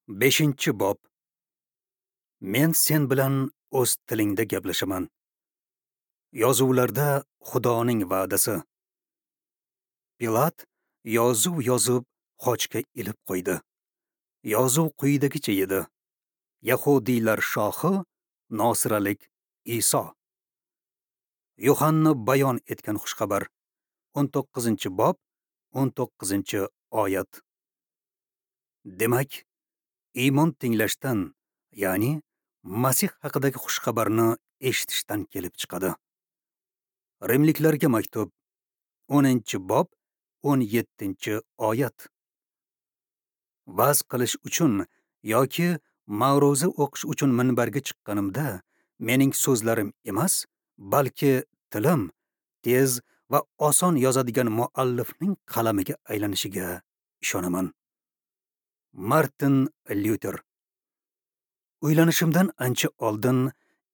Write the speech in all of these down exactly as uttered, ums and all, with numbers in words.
Beshinchi bob. Men sen bilan o'z tilingda gaplashaman. Yozuvlarda Xudoning va'dasi. Pilat yozuv yozib xochga ilib qo'ydi. Yozuv quyidagicha edi: Yahudiylar shohi Nosiralik Iso. Yuhanna bayon etgan xushxabar. o'n to'qqizinchi bob, o'n to'qqizinchi oyat. Demak, iymon tinglashdan, ya'ni Masih haqidagi xushxabarni eshitishdan kelib chiqadi. Rimliklarga maktub, o'ninchi bob, o'n yettinchi oyat. Va'z qilish uchun yoki ma'ruza o'qish uchun minbarga chiqqanimda mening so'zlarim emas, balki tilim tez va oson yozadigan muallifning qalamiga aylanishiga ishonaman. Martin Lyuter. Uylanishimdan ancha oldin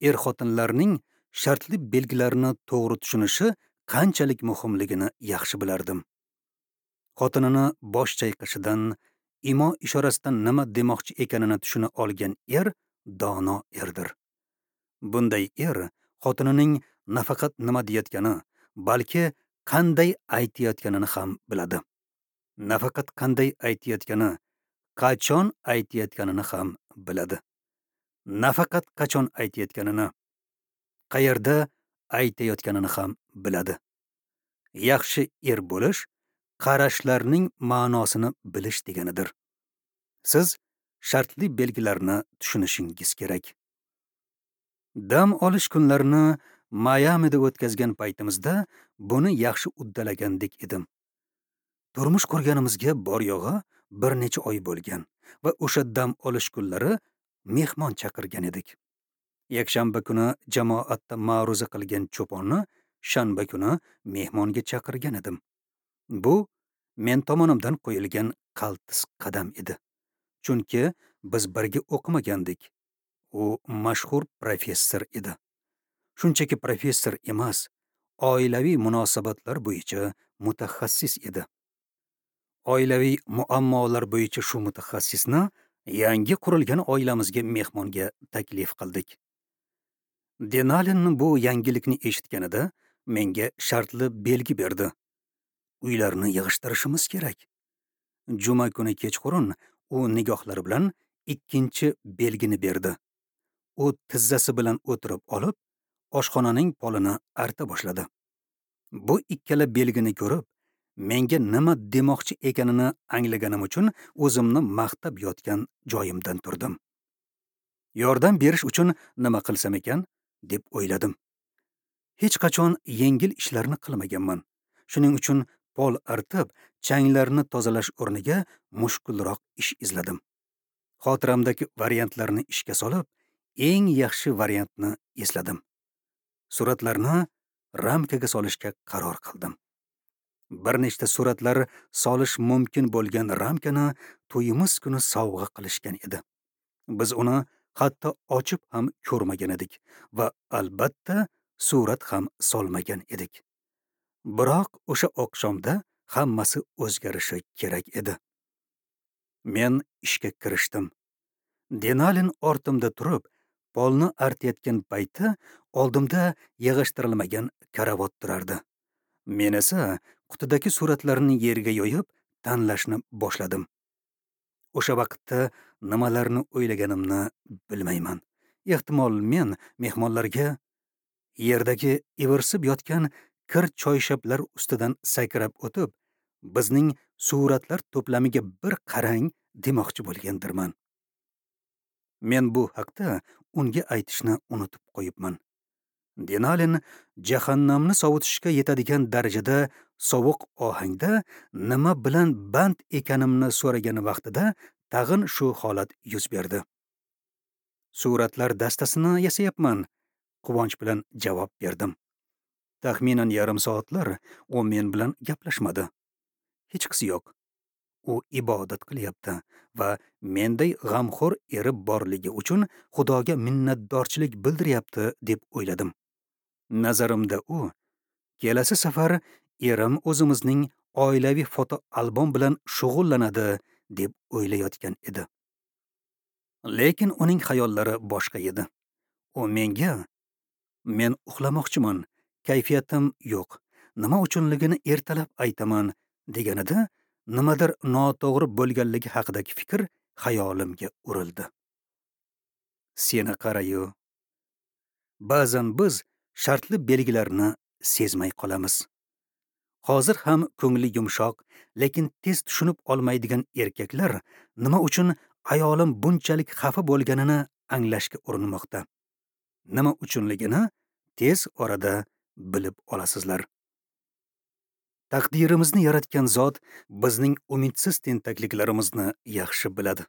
er-xotinlarning shartli belgilarini to'g'ri tushunishi qanchalik muhimligini yaxshi bilardim. Xotinini bosh chayqashidan, imo ishorasidan nima demoqchi ekanini tushuna olgan er dono erdir. Bunday er xotinining nafaqat nima deyayotgani, balki qanday aytayotganini ham biladi. Nafaqat qanday aytayotgani, qachon aytayotganini ham biladi. Nafaqat qachon aytayotganini, qayerda aytayotganini ham biladi. Yaxshi er bo'lish qarashlarning ma'nosini bilish deganidir. Siz shartli belgilarni tushunishingiz kerak. Dam olish kunlarini Mayamida o'tkazgan paytimizda buni yaxshi uddalagandek edim. Turmush qurganimizga bor yo'g'i bir necha oy bo'lgan va o'sha dam olish kunlari mehmon chaqirgan edik. Yakshanba kuni jamoatda ma'ruza qilgan cho'ponni shanba kuni mehmonga chaqirgan edim. Bu men tomonimdan qo'yilgan qaltis qadam edi. Chunki biz birga o'qimagandik. U mashhur professor edi. Shunchaki professor emas, oilaviy munosabatlar bo'yicha mutaxassis edi. Oilaviy muammolar bo'yicha shu mutaxassisni yangi qurilgan oilamizga mehmonga taklif qildik. Denalin bu yangilikni eshitganida menga shartli belgi berdi. Uylarni yig'ishtirishimiz kerak. Juma kuni kechqurun u nigohlari bilan ikkinchi belgini berdi. U tizzasi bilan o'tirib olib, oshxonaning polini arta boshladi. Bu ikkala belgini ko'rib, menga nima demoqchi ekanini anglaganim uchun o'zimni maqtab yotgan joyimdan turdim. Yordam berish uchun nima qilsam ekan, deb o'yladim. Hech qachon yengil ishlarni qilmaganman. Shuning uchun pol artib, changlarni tozalash o'rniga mushkulroq ish izladim. Xotiramdagi variantlarni ishga solib, eng yaxshi variantni esladim. Suratlarni ramkaga solishga qaror qildim. Bir nechta suratlar solish mumkin bo'lgan ramkani to'yimiz kuni sovg'a qilishgan edi. Biz uni hatto ochib ham ko'rmagan edik va albatta surat ham solmagan edik. Biroq o'sha oqshomda hammasi o'zgarishi kerak edi. Men ishga kirishdim. Denalin ortimda turib, polni artayotgan payti oldimda yig'ishtirilmagan karavot turardi. Men esa qutidagi suratlarni yerga yoyib, tanlashni boshladim. O'sha vaqtda nimalarni o'ylaganimni bilmayman. Ehtimol men mehmonlarga yerdagi ivirsib yotgan kir choyshablar ustidan sakrab o'tib, bizning suratlar to'plamiga bir qarang demoqchi bo'lgandirman. Men bu haqda unga aytishni unutib qo'yibman. Denalin jahannamni sovutishga yetadigan darajada sovuq ohangda nima bilan band ekanimni so'ragan vaqtida tag'in shu holat yuz berdi. Suratlar dastasini yasayapman, quvonch bilan javob berdim. Taxminan yarim soatlar u men bilan gaplashmadi. Hechqisi yo'q. U ibodat qilyapti va menday g'amxo'r eri borligi uchun Xudoga minnatdorchilik bildiryapti deb o'yladim. Nazarimda u kelasi safar erim o'zimizning oilaviy fotoalbom bilan shug'ullanadi deb o'ylayotgan edi. Lekin uning xayollari boshqa edi. U menga: "Men uxlamoqchiman, kayfiyatim yo'q, nima uchunligini ertalab aytaman" deganida nimadir noto'g'ri bo'lganligi haqidagi fikr xayolimga urildi. Seni qarayu. Ba'zan biz shartli belgilarni sezmay qolamiz. Hozir ham ko'ngli yumshoq, lekin tez tushunib olmaydigan erkaklar nima uchun ayolim bunchalik xafa bo'lganini anglashga urinmoqda. Nima uchunligini tez orada bilib olasizlar. Taqdirimizni yaratgan zot bizning umidsiz tentakliklarimizni yaxshi biladi.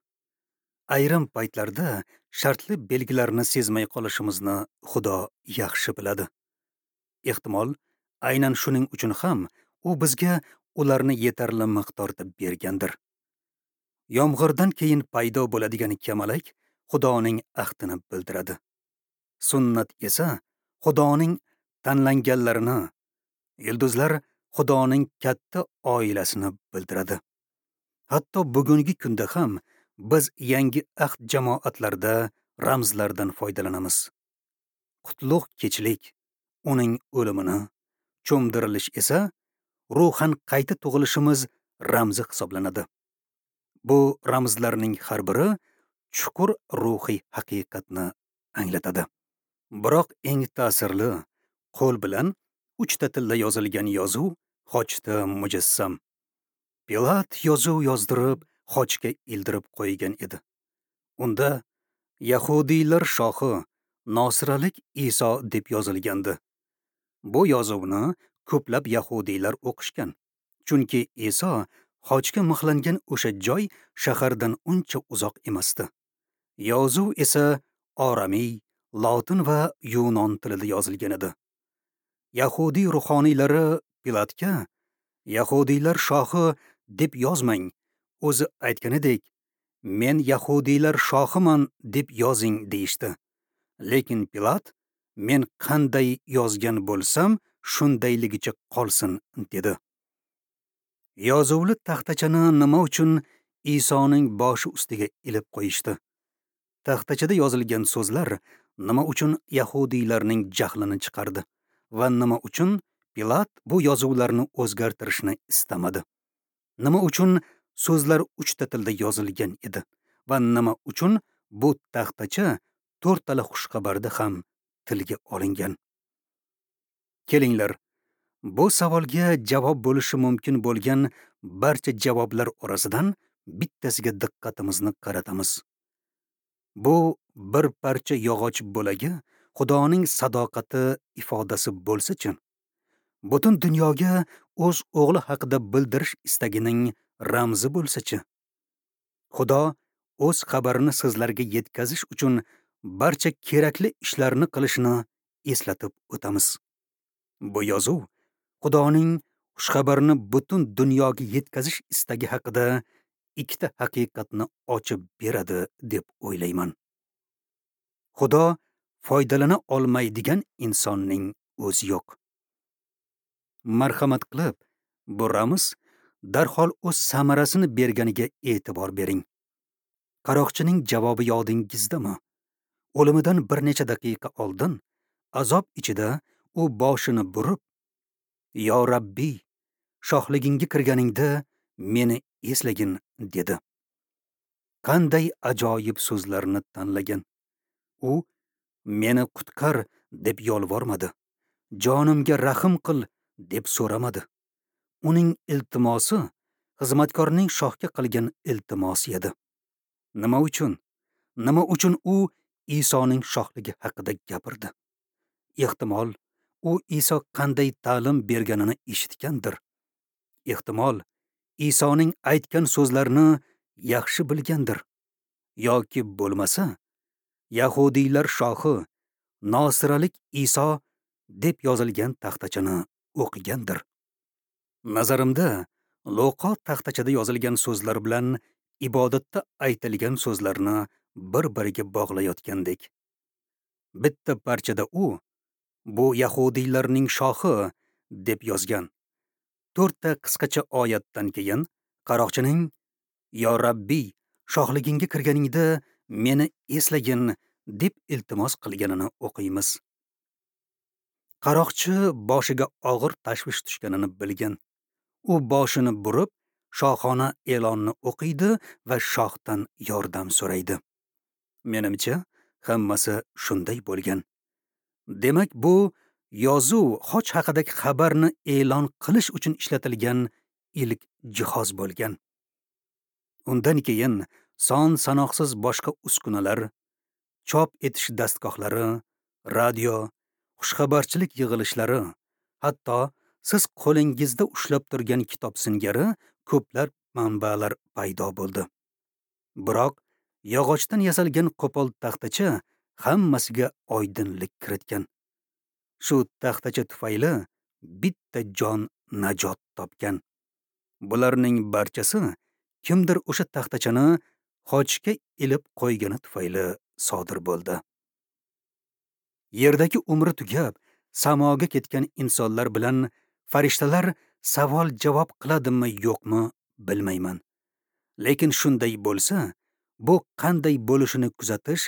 Ayrim paytlarda shartli belgilarni sezmay qolishimizni Xudo yaxshi biladi. Ehtimol, aynan shuning uchun ham u bizga ularni yetarli miqdorda bergandir. Yomg'irdan keyin paydo bo'ladigan kamalak Xudoning ahdini bildiradi. Sunnat esa Xudoning tanlanganlarini, yulduzlar Xudoning katta oilasini bildiradi. Hatto bugungi kunda ham biz yangi ahd jamoatlarida ramzlardan foydalanamiz. Qutlug' kechlik uning o'limini, cho'mdirilish esa ruhan qayta tug'ilishimiz ramzi hisoblanadi. Bu ramzlarning har biri chuqur ruhiy haqiqatni anglatadi. Biroq eng ta'sirli qo'l bilan uchta tilda yozilgan yozuv xochda mujassam. Pilat yozuv yozdirib, xochga ildirib qo'ygan edi. Unda Yahudiylar shohi Nosiralik Iso deb yozilgandi. Bu yozuvni ko'plab yahudiylar o'qishgan. Chunki Iso xochga mixlangan o'sha joy shahardan uncha uzoq emasdi. Yozuv esa oramiy, lotin va yunon tilida yozilgan edi. Yahudiy ruhoniylari Pilatga "Yahudiylar shohi deb yozmang, o'zi aytganidek, men yahudiylar shohiman deb yozing" deyishdi. Lekin Pilat "Men qanday yozgan bo'lsam, shundayligicha qolsin" dedi. Yozuvli taxtachani nima uchun Isoning boshi ustiga ilib qo'yishdi? Taxtachada yozilgan so'zlar nima uchun yahudiylarning jahlini chiqardi va nima uchun Pilat bu yozuvlarni o'zgartirishni istamadi? Nima uchun so'zlar uchta tilda yozilgan edi va nima uchun bu taxtacha to'rttala xushxabarda ham tilga olingan? Kelinglar, bu savolga javob bo'lishi mumkin bo'lgan barcha javoblar orasidan bittasiga diqqatimizni qaratamiz. Bu bir parcha yog'och bo'lagi Xudoning sadoqati ifodasi bo'lsa-chi, butun dunyoga o'z o'g'li haqida bildirish istagining ramzi bo'lsa-chi, Xudo o'z xabarini sizlarga yetkazish uchun barcha kerakli ishlarni qilishini eslatib o'tamiz. Bu yozuv Xudoning xushxabarini butun dunyoga yetkazish istagi haqida ikkita haqiqatni ochib beradi deb o'ylayman. Xudo foydalana olmaydigan insonning o'zi yo'q. Marhamat qilib, bu ramz darhol o'z samarasini berganiga e'tibor bering. Qaroqchining javobi yodingizdami? O'limidan bir necha daqiqa oldin azob ichida u boshini burib, "Yo Rabbiy, shohligingga kirganingda meni eslagin" dedi. Qanday ajoyib so'zlarni tanlagan. U "Meni qutqar" deb yolvormadi. "Jonimga rahim qil" deb so'ramadi. Uning iltimosi xizmatkorning shohga qilgan iltimosi edi. Nima uchun? Nima uchun u Isoning shohligi haqida gapirdi? Ehtimol, u Iso qanday ta'lim berganini eshitgandir. Ehtimol, Isoning aytgan so'zlarini yaxshi bilgandir. Yoki bo'lmasa, Yahudiylar shohi Nosiralik Iso deb yozilgan taxtachani o'qigandir. Nazarimda, Luqo taxtachada yozilgan so'zlar bilan ibodatda aytilgan so'zlarni bir-biriga bog'layotgandek. Bitta parchada u "Bu yahudiylarning shohi" deb yozgan. To'rtta qisqacha oyatdan keyin qaroqchining "Yo Rabbiy, shohligingga kirganingda meni eslagin deb iltimos qilganini o'qiymiz. Qaroqchi boshiga og'ir tashvish tushganini bilgan. U boshini burib, shohona e'lonni o'qiydi va shohdan yordam so'raydi. Menimcha, hammasi shunday bo'lgan. Demak, bu yozuv xoch haqidagi xabarni e'lon qilish uchun ishlatilgan ilk jihoz bo'lgan. Undan keyin son sanoqsiz boshqa uskunalar, chop etish dastgohlari, radio, xushxabarchilik yig'ilishlari, hatto siz qo'lingizda ushlab turgan kitob singari ko'plab manbalar paydo bo'ldi. Biroq yog'ochdan yasalgan qo'pol taxtacha hammasiga oydinlik kiritgan. Shu taxtacha tufayli bitta jon najot topgan. Bularning barchasi kimdir o'sha taxtachani xochga ilib qo'ygani tufayli sodir bo'ldi. Yerdagi umri tugab, samoga ketgan insonlar bilan farishtalar savol-javob qiladimi yo'qmi bilmayman. Lekin shunday bo'lsa, bu qanday bo'lishini kuzatish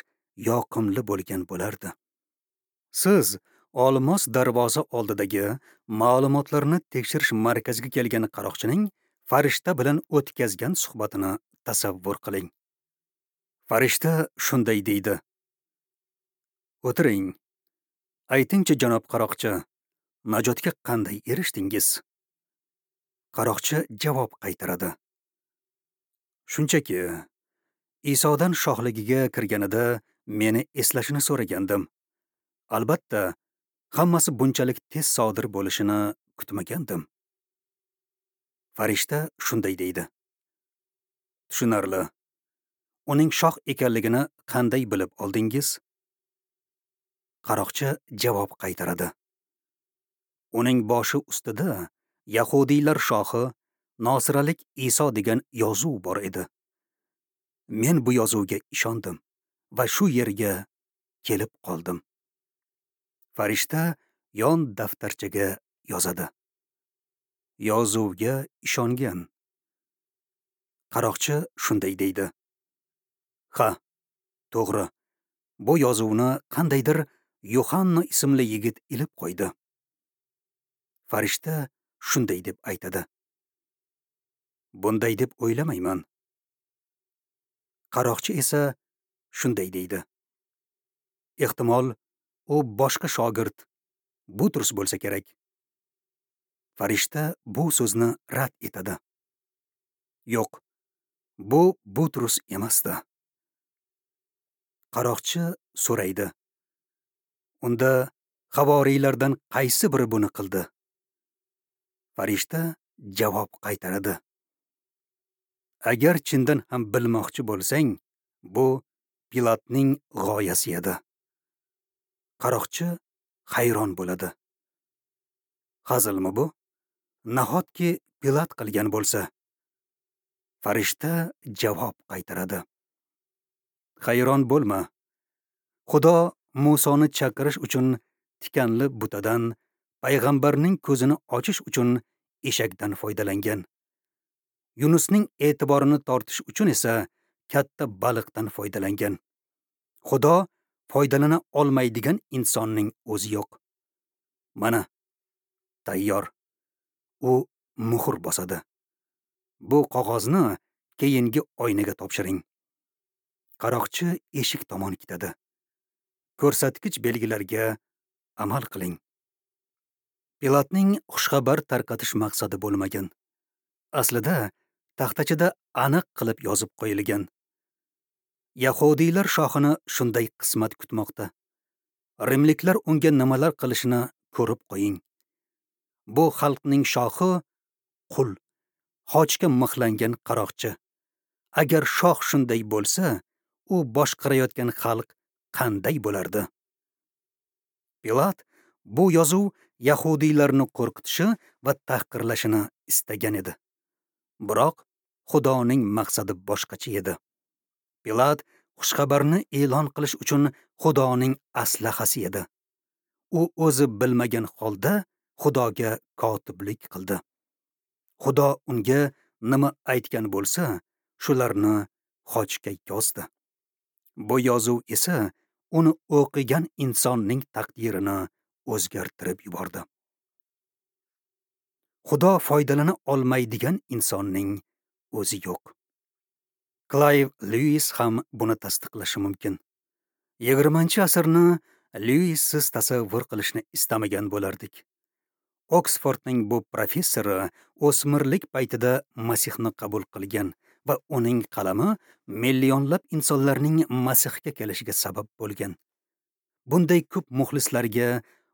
yoqimli bo'lgan bo'lardi. Siz Olmos darvoza oldidagi ma'lumotlarni tekshirish markaziga kelgan qaroqchining farishta bilan o'tkazgan suhbatini tasavvur qiling. Farishta shunday deydi: "O'tiring. Aytingchi, janob qaroqchi, najotga qanday erishdingiz?" Qaroqchi javob qaytaradi: "Shunchaki Isodan shohligiga kirganida meni eslashini so'ragandim. Albatta, hammasi bunchalik tez sodir bo'lishini kutmagandim." Farishta shunday deydi: "Tushunarli. Uning shoh ekanligini qanday bilib oldingiz?" Qaroqchi javob qaytaradi: "Uning boshi ustida Yahudiylar shohi Nosiralik Iso degan yozuv bor edi. Men bu yozuvga ishondim va shu yerga kelib qoldim." Farishta yon daftarchaga yozadi: "Yozuvga ishongan." Qaroqchi shunday deydi: "Ha, to'g'ri. Bu yozuvni qandaydir Yohanna ismli yigit ilib qo'ydi." Farishta shunday deb aytadi: "Bunday deb o'ylamayman." Qaroqchi esa shunday deydi: "Ehtimol, u boshqa shogird Butrus bo'lsa kerak." Farishta bu so'zni rad etadi: "Yo'q, bu Butrus emasdi." Qaroqchi so'raydi: "Unda havoriylardan qaysi biri buni qildi?" Farishta javob qaytaradi: "Agar chindan ham bilmoqchi bo'lsang, bu Pilatning g'oyasi edi." Qaroqchi hayron bo'ladi. Hazilmi bu? Nahotki Pilat qilgan bo'lsa? Farishta javob qaytaradi: "Hayron bo'lma. Xudo Musoni chaqirish uchun tikanli butadan, payg'ambarning ko'zini ochish uchun eshakdan foydalangan. Yunusning e'tiborini tortish uchun esa katta baliqdan foydalangan. Xudo foydalana olmaydigan insonning o'zi yo'q. Mana, tayyor." U muhr bosadi. "Bu qog'ozni keyingi oynaga topshiring." Qaroqchi eshik tomon ketadi. Ko'rsatkich belgilarga amal qiling. Pilatning xushxabar tarqatish maqsadi bo'lmagan. Aslida taxtachada aniq qilib yozib qo'yilgan. Yahudiylar shohini shunday qismat kutmoqda. Rimliklar unga nimalar qilishini ko'rib qo'ying. Bu xalqning shohi qul, xochga mixlangan qaroqchi. Agar shoh shunday bo'lsa, u boshqarayotgan xalq qanday bo'lardi? Pilat bu yozuv yahudiylarni qo'rqitishi va tahqirlashini istagan edi. Biroq Xudoning maqsadi boshqacha edi. Pilat xushxabarni e'lon qilish uchun Xudoning aslahasi edi. U o'zi bilmagan holda Xudoga kotiblik qildi. Xudo unga nima aytgan bo'lsa, shularni xochga yozdi. Bu yozuv esa uni o'qigan insonning taqdirini o'zgartirib yubordi. Xudo foydalana olmaydigan insonning o'zi yo'q. Klayv Lyuis ham buni tasdiqlashi mumkin. yigirmanchi asrni Lyuissiz tasavvur qilishni istamagan bo'lardik. Oksfordning bu professori o'smirlik paytida Masihni qabul qilgan va uning qalami millionlab insonlarning Masihga kelishiga sabab bo'lgan. Bunday ko'p muxlislarga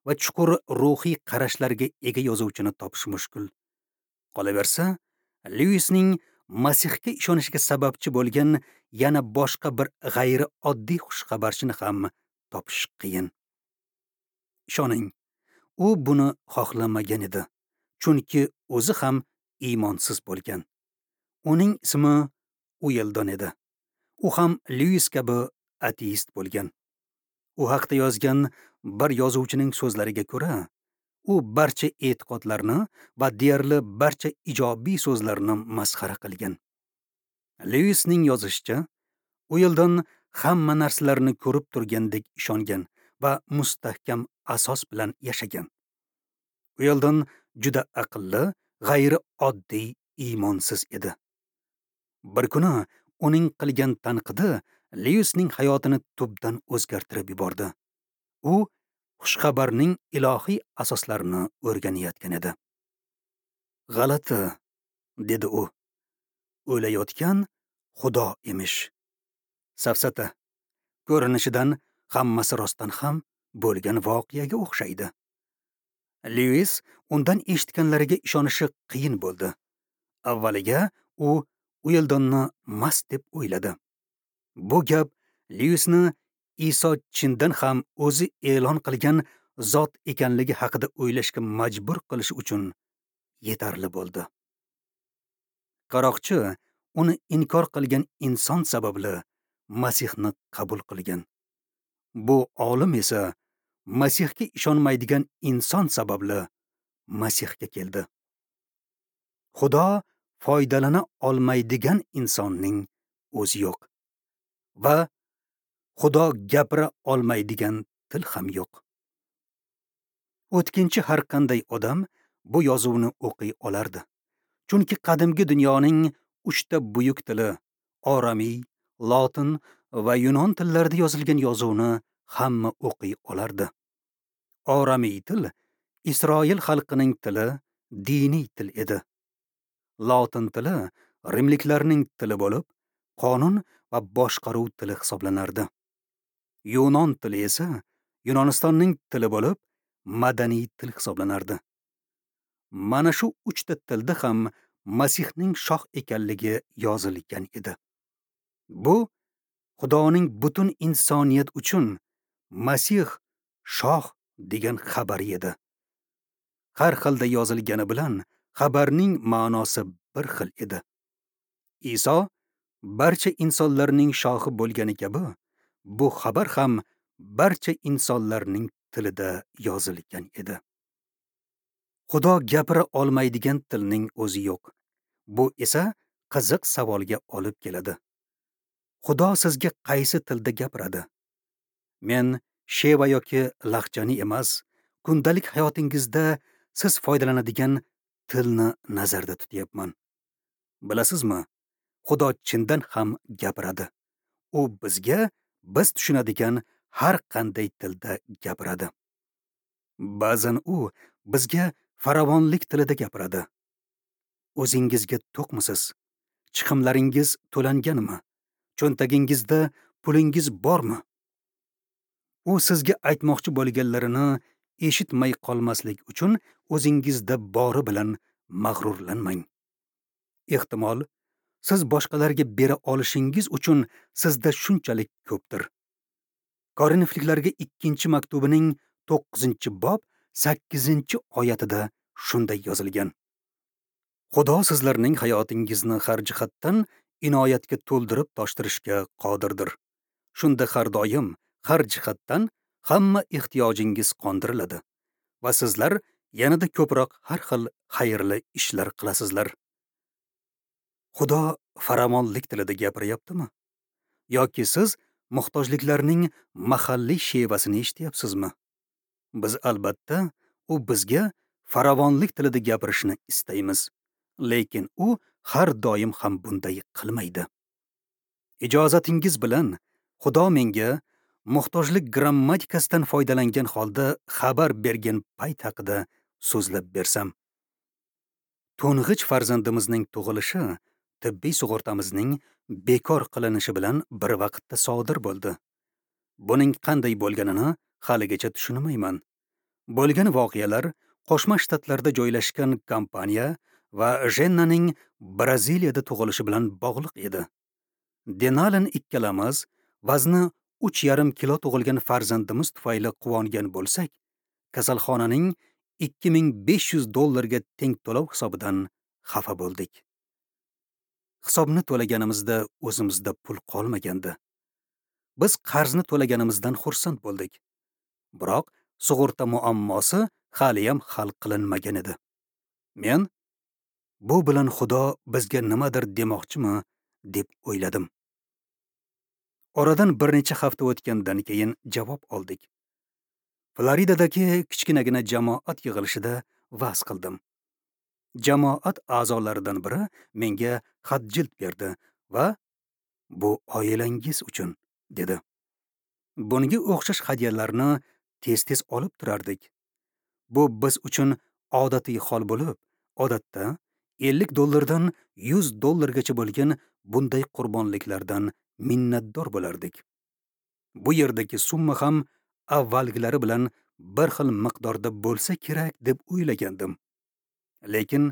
va chuqur ruhiy qarashlarga ega yozuvchini topish mushkul. Qolaversa, Lyuisning Masihga ishonishiga sababchi bo'lgan yana boshqa bir g'ayrioddiy xushxabarchini ham topish qiyin. Ishoning, u buni xohlamagan edi, chunki o'zi ham iymonsiz bo'lgan. Uning ismi Ueldon edi. U ham Lyuis kabi ateist bo'lgan. U haqda yozgan bir yozuvchining so'zlariga ko'ra, u barcha e'tiqodlarni va deyarli barcha ijobiy so'zlarni masxara qilgan. Lyuisning yozishicha, Ueldon hamma narsalarni ko'rib turgandek ishongan va mustahkam asos bilan yashagan. Ueldon juda aqlli, g'ayrioddiy iymonsiz edi. Bir kuni uning qilgan tanqidi Lyuisning hayotini tubdan o'zgartirib yubordi. U xushxabarning ilohiy asoslarini o'rganayotgan edi. G'alati, dedi u. O'layotgan Xudo emish. Safsata. Ko'rinishidan hammasi rostdan ham bo'lgan voqeaga o'xshaydi. Lyuis undan eshitganlariga ishonishi qiyin bo'ldi. Avvaliga u Ueldonni mast deb o'yladi. Bu gap Lyuisni Iso chindan ham o'zi e'lon qilgan zot ekanligi haqida o'ylashga majbur qilish uchun yetarli bo'ldi. Qaroqchi uni inkor qilgan inson sababli Masihni qabul qilgan. Bu olim esa Masihga ishonmaydigan inson sababli Masihga keldi. Xudo foydalana olmaydigan insonning o'zi yo'q va Xudo gapira olmaydigan til ham yo'q. O'tkinchi har qanday odam bu yozuvni o'qiy olardi. Chunki qadimgi dunyoning uchta buyuk tili oramiy, lotin va yunon tillarida yozilgan yozuvni hamma o'qiy olardi. Oramiy til Isroil xalqining tili, diniy til edi. Lotin tili rimliklarning tili bo'lib, qonun va boshqaruv tili hisoblanardi. Yunon tili esa Yunonistonning tili bo'lib, madaniy til hisoblanardi. Mana shu uchta tilda ham Masihning shoh ekanligi yozilgan edi. Bu Xudoning butun insoniyat uchun Masih shoh degan xabari edi. Har xilda yozilgani bilan xabarning ma'nosi bir xil edi. Iso barcha insonlarning shohi bo'lgani kabi, bu xabar ham barcha insonlarning tilida yozilgan edi. Xudo gapira olmaydigan tilning o'zi yo'q. Bu esa qiziq savolga olib keladi. Xudo sizga qaysi tilda gapiradi? Men sheva yoki lahjani emas, kundalik hayotingizda siz foydalanadigan tilni nazarda tutyapman. Bilasizmi, Xudo chindan ham gapiradi. U bizga biz tushunadigan har qanday tilda gapiradi. Ba'zan u bizga farovonlik tilida gapiradi. O'zingizga to'qmisiz? Chiqimlaringiz to'langanmi? Cho'ntagingizda pulingiz bormi? U sizga aytmoqchi bo'lganlarini eshitmay qolmaslik uchun o'zingizda bori bilan mag'rurlanmang. Ehtimol, siz boshqalarga bera olishingiz uchun sizda shunchalik ko'pdir. Korinfliklarga ikkinchi maktubining to'qqizinchi bob sakkizinchi oyatida shunday yozilgan: Xudo sizlarning hayotingizni har jihatdan inoyatga to'ldirib toshtirishga qodirdir. Shunda har doim, har jihatdan hamma ehtiyojingiz qondiriladi va sizlar yanada ko'proq har xil xayrli ishlar qilasizlar. Xudo farovonlik tilida gapiryaptimi? Yoki siz Muhtojliklarning mahalliy shevasini eshityapsizmi? Biz albatta u bizga farovonlik tilida gapirishni istaymiz, lekin u har doim ham bunday qilmaydi. Ijozatingiz bilan Xudo menga muhtojlik grammatikasidan foydalangan holda xabar bergan payt haqida so'zlab bersam. To'ng'ich farzandimizning tug'ilishi tibbiy sug'urtamizning bekor qilinishi bilan bir vaqtda sodir bo'ldi. Buning qanday bo'lganini haligacha tushunmayman. Bo'lgan voqealar Qo'shma Shtatlarda joylashgan kompaniya va Jennaning Braziliyada tug'ilishi bilan bog'liq edi. Denalin ikkalamiz vazni uch yarim kilo tug'ilgan farzandimiz tufayli quvongan bo'lsak, kasalxonaning ikki ming besh yuz dollarga teng to'lov hisobidan xafa bo'ldik. Hisobni to'laganimizda o'zimizda pul qolmagandi. Biz qarzni to'laganimizdan xursand bo'ldik. Biroq sug'urta muammosi haliyam hal qilinmagan edi. Men bu bilan Xudo bizga nimadir demoqchimi deb o'yladim. Oradan bir necha hafta o'tgandan keyin javob oldik. Floridadagi kichkinagina jamoat yig'ilishida va'z qildim. Jamoat a'zolaridan biri menga xat jild berdi va bu oilangiz uchun dedi. Bunga o'xshash hadyalarni tez-tez olib turardik. Bu biz uchun odatiy hol bo'lib, odatda ellik dollardan yuz dollargacha bo'lgan bunday qurbonliklardan minnatdor bo'lardik. Bu yerdagi summa ham avvalgilari bilan bir xil miqdorda bo'lsa kerak deb o'ylagandim. Lekin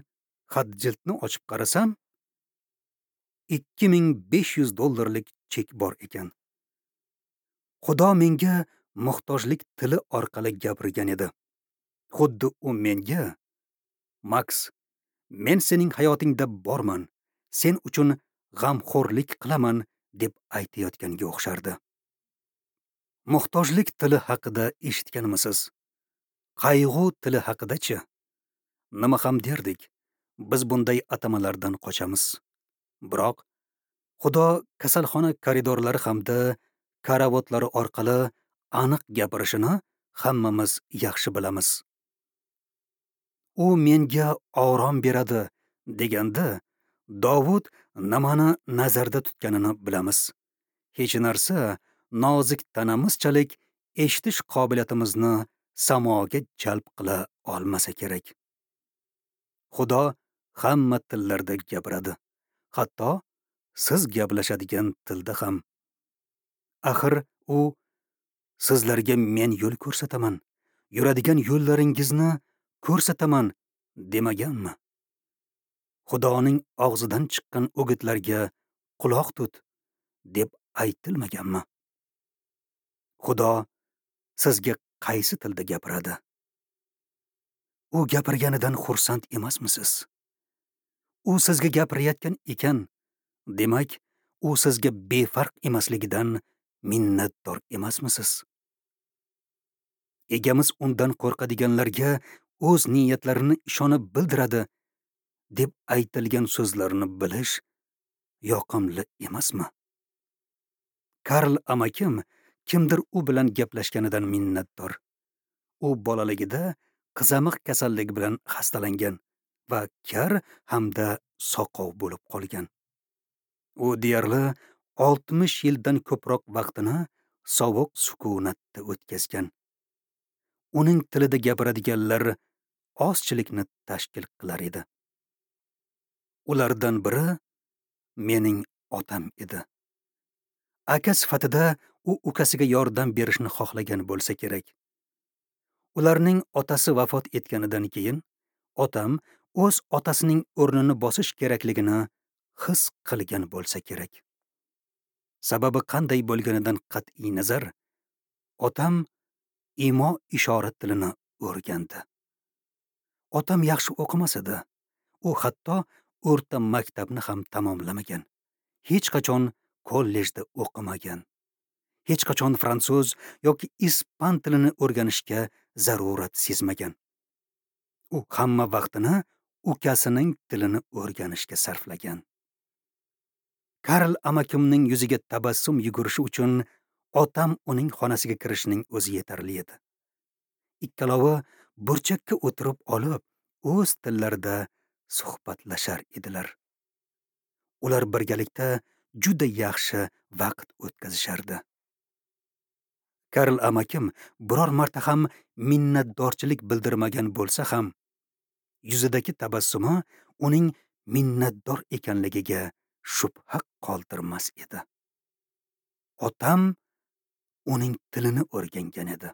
xat jildni ochib qarasam, ikki ming besh yuz dollarlik chek bor ekan. Xudo menga muhtojlik tili orqali gapirgan edi. Xuddi u menga: "Max, men sening hayotingda borman, sen uchun g'amxo'rlik qilaman" deb aytayotganga o'xshardi. Muhtojlik tili haqida eshitganmisiz? Qayg'u tili haqida-chi? Nima ham derdik? Biz bunday atamalardan qochamiz. Biroq Xudo kasalxona koridorlari hamda karavotlari orqali aniq gapirishini hammamiz yaxshi bilamiz. U menga orom beradi deganda Dovud nimani nazarda tutganini bilamiz. Hech narsa nozik tanamizchalik eshitish qobiliyatimizni samoga jalb qila olmasa kerak. Xudo hamma tillarda gapiradi, hatto siz gaplashadigan tilda ham. Axir u sizlarga men yo'l ko'rsataman, yuradigan yo'llaringizni ko'rsataman demaganmi? Xudoning og'zidan chiqqan o'gitlarga quloq tut deb aytilmaganmi? Xudo sizga qaysi tilda gapiradi? U gapirganidan xursand emasmisiz? U sizga gapirayotgan ekan, demak, u sizga befarq emasligidan minnatdor emasmisiz? Egamiz undan qo'rqadiganlarga o'z niyatlarini ishonib bildiradi deb aytilgan so'zlarni bilish yoqimli emasmi? Karl amakim kimdir u bilan gaplashganidan minnatdor. U bolaligida qizamiq kasalligi bilan xastalangan va kar hamda soqov bo'lib qolgan. U deyarli oltmish yildan ko'proq vaqtini sovuq sukunatda o'tkazgan. Uning tilida gapiradiganlar ozchilikni tashkil qilar edi. Ulardan biri mening otam edi. Aka sifatida u ukasiga yordam berishni xohlagan bo'lsa kerak. Ularning otasi vafot etganidan keyin otam o'z otasining o'rnini bosish kerakligini his qilgan bo'lsa kerak. Sababi qanday bo'lganidan qat'iy nazar, otam imo ishora tilini o'rgandi. Otam yaxshi o'qimas edi. U hatto o'rta maktabni ham tamomlamagan. Hech qachon kollejda o'qimagan. Hech qachon fransuz yoki ispan tilini o'rganishga zarurat sezmagan. U hamma vaqtini ukasining tilini o'rganishga sarflagan. Karl amakimning yuziga tabassum yugurishi uchun Otam uning xonasiga kirishining o'zi yetarli edi. Ikkalovi burchakka o'tirib olib, o'z tillarida suhbatlashar edilar. Ular birgalikda juda yaxshi vaqt o'tkazishardi. Karl amakim biror marta ham minnatdorchilik bildirmagan bo'lsa ham, yuzidagi tabassumi uning minnatdor ekanligiga shubha qoldirmas edi. Otam uning tilini o'rgangan edi.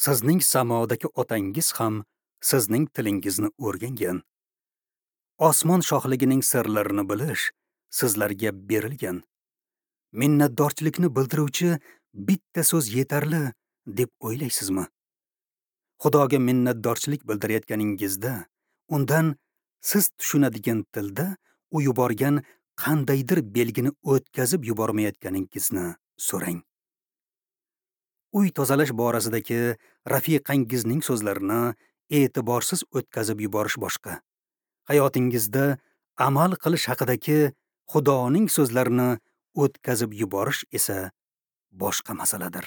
Sizning samodagi otangiz ham sizning tilingizni o'rgangan. Osmon shohligining sirlarini bilish sizlarga berilgan. Minnatdorchilikni bildiruvchi bitta so'z yetarli deb o'ylaysizmi? Xudoga minnatdorchilik bildirayotganingizda undan siz tushunadigan tilda u yuborgan qandaydir belgini o'tkazib yubormayotganingizni so'rang. Uy tozalash borasidagi rafiqangizning so'zlarini e'tiborsiz o'tkazib yuborish boshqa. Hayotingizda amal qilish haqidagi Xudoning so'zlarini o'tkazib yuborish esa boshqa masaladir.